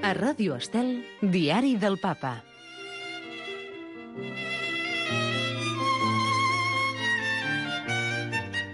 A Ràdio Estel, Diari del Papa.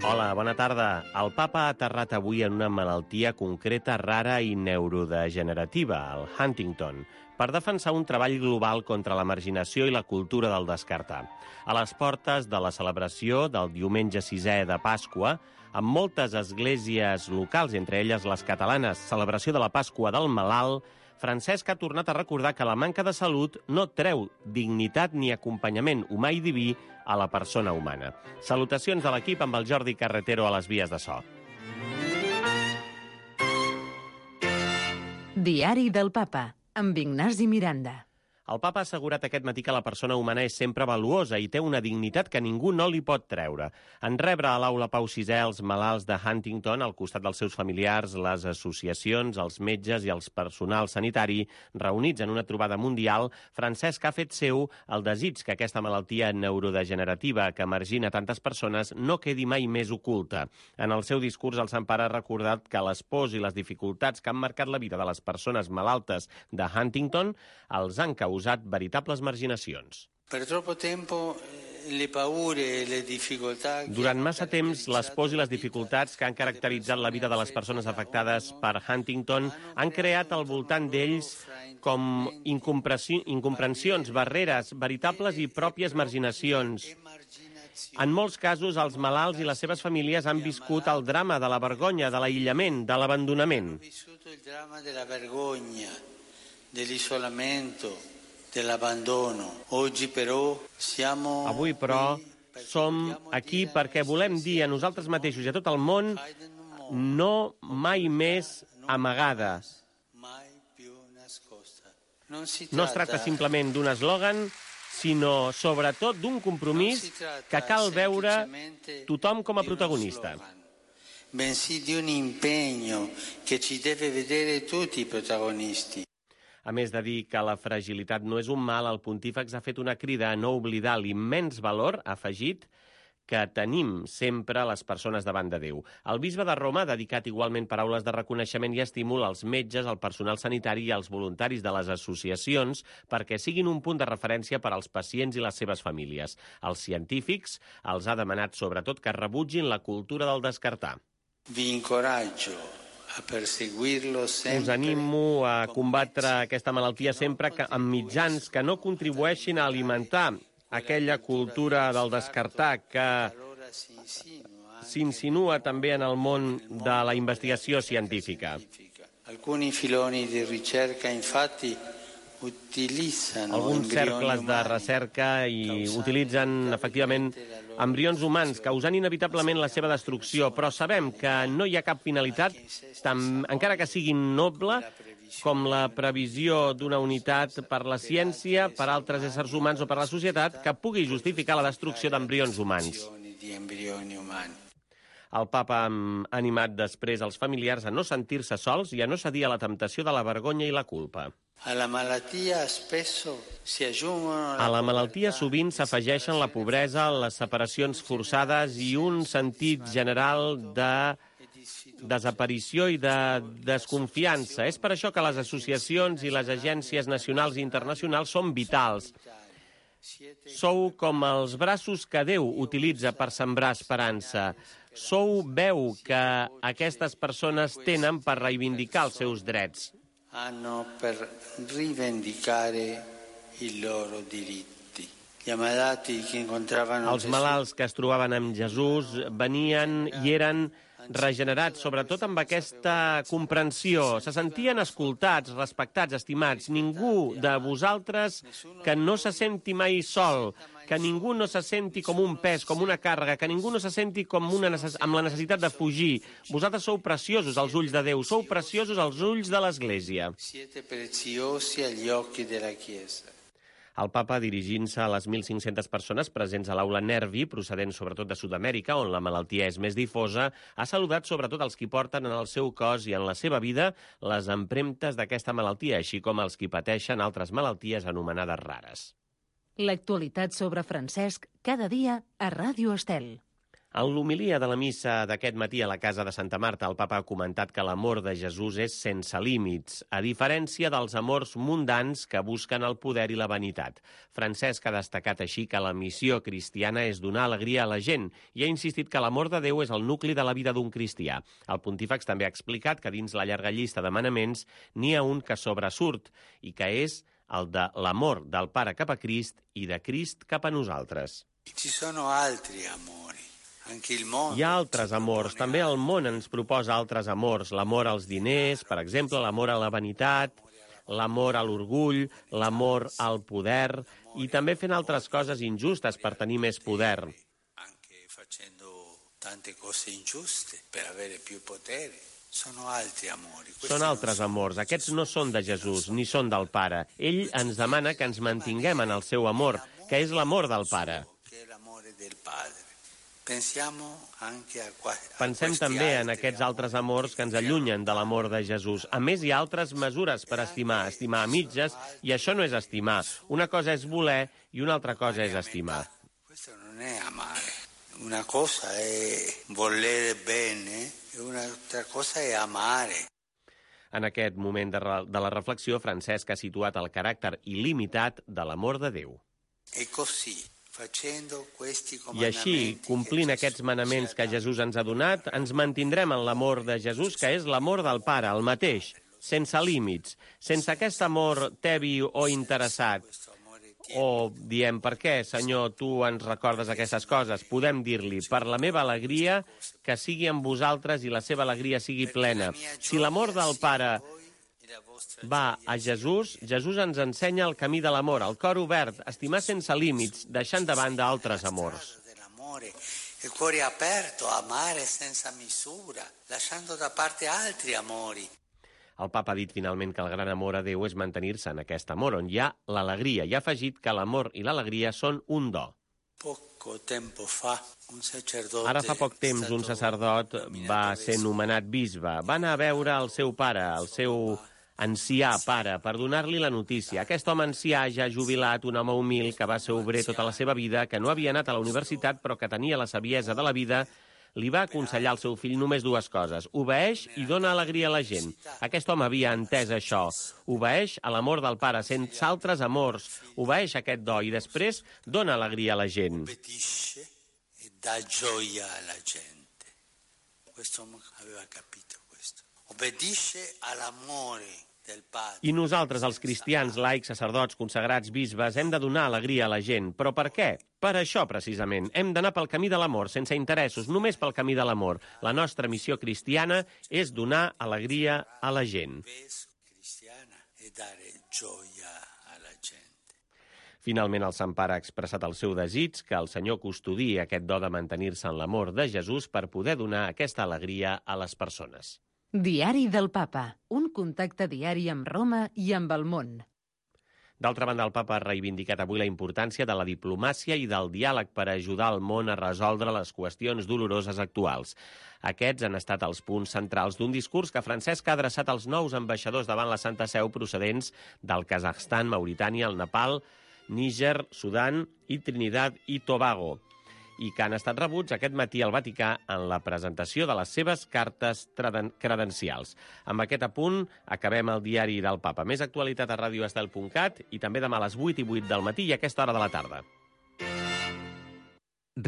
Hola, bona tarda. El papa ha aterrat avui en una malaltia concreta, rara i neurodegenerativa, el Huntington, per defensar un treball global contra la marginació i la cultura del descartar. A les portes de la celebració del diumenge 6è de Pasqua, amb moltes esglésies locals, entre elles les catalanes, celebració de la Pasqua del Malalt, Francesc ha tornat a recordar que la manca de salut no treu dignitat ni acompanyament humà i diví a la persona humana. Salutacions de l'equip amb el Jordi Carretero a les vies de so. Diari del Papa, amb Ignasi Miranda. El papa ha assegurat aquest matí que la persona humana és sempre valuosa i té una dignitat que ningú no li pot treure. En rebre a l'aula Pau VI els malalts de Huntington, al costat dels seus familiars, les associacions, els metges i els personal sanitari reunits en una trobada mundial, Francesc ha fet seu el desig que aquesta malaltia neurodegenerativa que margina tantes persones no quedi mai més oculta. En el seu discurs, el Sant Pare ha recordat que les pors i les dificultats que han marcat la vida de les persones malaltes de Huntington els han causat veritables marginacions. Durant massa temps, les pors i les dificultats que han caracteritzat la vida de les persones afectades per Huntington han creat al voltant d'ells com incomprensions, barreres, veritables i pròpies marginacions. En molts casos, els malalts i les seves famílies han viscut el drama de la vergonya, de l'aïllament, de l'abandonament. Avui, però, som aquí perquè volem dir a nosaltres mateixos i a tot el món no mai més amagada. No es tracta simplement d'un eslògan, sinó sobretot d'un compromís que cal veure tothom com a protagonista. Bensì di un impegno che ci deve vedere tutti i protagonisti. A més de dir que la fragilitat no és un mal, el pontífex ha fet una crida a no oblidar l'immens valor afegit que tenim sempre les persones davant de Déu. El bisbe de Roma ha dedicat igualment paraules de reconeixement i estímul als metges, al personal sanitari i als voluntaris de les associacions perquè siguin un punt de referència per als pacients i les seves famílies. Els científics els ha demanat sobretot que rebutgin la cultura del descartar. Vi incoraggio a perseguirlo sempre. Us animo a combatre aquesta malaltia sempre amb mitjans que no contribueixin a alimentar aquella cultura del descartar que s'insinua també en el món de la investigació científica. Alcuni filoni di ricerca, infatti, utilizzano alguns cercles de recerca i utilitzen, efectivament, embrions humans, causant inevitablement la seva destrucció, però sabem que no hi ha cap finalitat, encara que sigui noble, com la previsió d'una unitat per la ciència, per altres éssers humans o per la societat, que pugui justificar la destrucció d'embrions humans. El papa ha animat després els familiars a no sentir-se sols i a no cedir a la temptació de la vergonya i la culpa. A la malaltia sovint s'afegeixen la pobresa, les separacions forçades i un sentit general de desaparició i de desconfiança. És per això que les associacions i les agències nacionals i internacionals són vitals. Sou com els braços que Déu utilitza per sembrar esperança. Sou veu que aquestes persones tenen per reivindicar els seus drets. Hanno per rivendicare i loro diritti. Gli ammalati che incontravano els malalts que es trobaven amb Jesús venien i eren regenerats, sobretot amb aquesta comprensió. Se sentien escoltats, respectats, estimats. Ningú de vosaltres que no se senti mai sol, que ningú no se senti com un pes, com una càrrega, que ningú no se senti com amb la necessitat de fugir. Vosaltres sou preciosos als ulls de Déu, sou preciosos als ulls de l'Església. Siete preziosi agli occhi della Chiesa. El papa, dirigint-se a les 1.500 persones presents a l'aula Nervi, procedents sobretot de Sud-amèrica, on la malaltia és més difosa, ha saludat sobretot els qui porten en el seu cos i en la seva vida les empremtes d'aquesta malaltia, així com els qui pateixen altres malalties anomenades rares. L'actualitat sobre Francesc cada dia a Ràdio Estel. En l'homilia de la missa d'aquest matí a la Casa de Santa Marta, el papa ha comentat que l'amor de Jesús és sense límits, a diferència dels amors mundans que busquen el poder i la vanitat. Francesc ha destacat així que la missió cristiana és donar alegria a la gent i ha insistit que l'amor de Déu és el nucli de la vida d'un cristià. El pontífex també ha explicat que dins la llarga llista de manaments n'hi ha un que sobresurt i que és el de l'amor del Pare cap a Crist i de Crist cap a nosaltres. Ci sono altri amori. Hi ha altres amors, també el món ens proposa altres amors, l'amor als diners, per exemple, l'amor a la vanitat, l'amor a l'orgull, l'amor al poder, i també fent altres coses injustes per tenir més poder. Anche facendo tante cose ingiuste per avere più potere. Sono altri amori. Són altres amors, aquests no són de Jesús, ni són del Pare. Ell ens demana que ens mantinguem en el seu amor, que és l'amor del Pare. Che è l'amore del Padre. Pensem també en aquests altres amors que ens allunyen de l'amor de Jesús. A més, hi ha altres mesures per estimar a mitges, i això no és estimar. Una cosa és voler i una altra cosa és estimar. Questo non è amare. Una cosa è volere bene e un'altra cosa è amare. En aquest moment de la reflexió, Francesc ha situat el caràcter il·limitat de l'amor de Déu. E così. I així, complint aquests manaments que Jesús ens ha donat, ens mantindrem en l'amor de Jesús, que és l'amor del Pare, el mateix, sense límits, sense aquest amor tebi o interessat. O diem, per què, Senyor, tu ens recordes aquestes coses? Podem dir-li, per la meva alegria, que sigui amb vosaltres i la seva alegria sigui plena. Si l'amor del Pare va a Jesús, Jesús ens ensenya el camí de l'amor, el cor obert, estimar sense límits, deixant de banda altres amors. Il cuore aperto, amare senza misura, lasciando da parte altri amori. El papa ha dit finalment que el gran amor a Déu és mantenir-se en aquest amor, on hi ha l'alegria, i ha afegit que l'amor i l'alegria són un do. Ara fa poc temps un sacerdot va ser nomenat bisbe, va anar a veure el seu pare, el seu ancià pare, per donar-li la notícia. Aquest home ancià, ja jubilat, un home humil, que va ser obrer tota la seva vida, que no havia anat a la universitat, però que tenia la saviesa de la vida, li va aconsellar al seu fill només dues coses. Obeeix i dona alegria a la gent. Aquest home havia entès això. Obeeix a l'amor del Pare, sense altres amors. Obeeix aquest do i després dona alegria a la gent. Obbedisce e dà gioia alla gente. Questo uomo aveva capito questo. Obbedisce all'amore del Padre. I nosaltres, els cristians, laics, sacerdots, consagrats, bisbes, hem de donar alegria a la gent. Però per què? Per això, precisament. Hem d'anar pel camí de l'amor, sense interessos, només pel camí de l'amor. La nostra missió cristiana és donar alegria a la gent. Finalment, el Sant Pare ha expressat el seu desig que el Senyor custodiï aquest do de mantenir-se en l'amor de Jesús per poder donar aquesta alegria a les persones. Diari del Papa, un contacte diari amb Roma i amb el món. D'altra banda, el papa ha reivindicat avui la importància de la diplomàcia i del diàleg per ajudar el món a resoldre les qüestions doloroses actuals. Aquests han estat els punts centrals d'un discurs que Francesc ha adreçat als nous ambaixadors davant la Santa Seu procedents del Kazakhstan, Mauritània, el Nepal, Níger, Sudan i Trinidad i Tobago, i que han estat rebuts aquest matí al Vaticà en la presentació de les seves cartes credencials. Amb aquest apunt acabem el diari del Papa. Més actualitat a radioestel.cat i també demà a les 8:08 del matí i a aquesta hora de la tarda.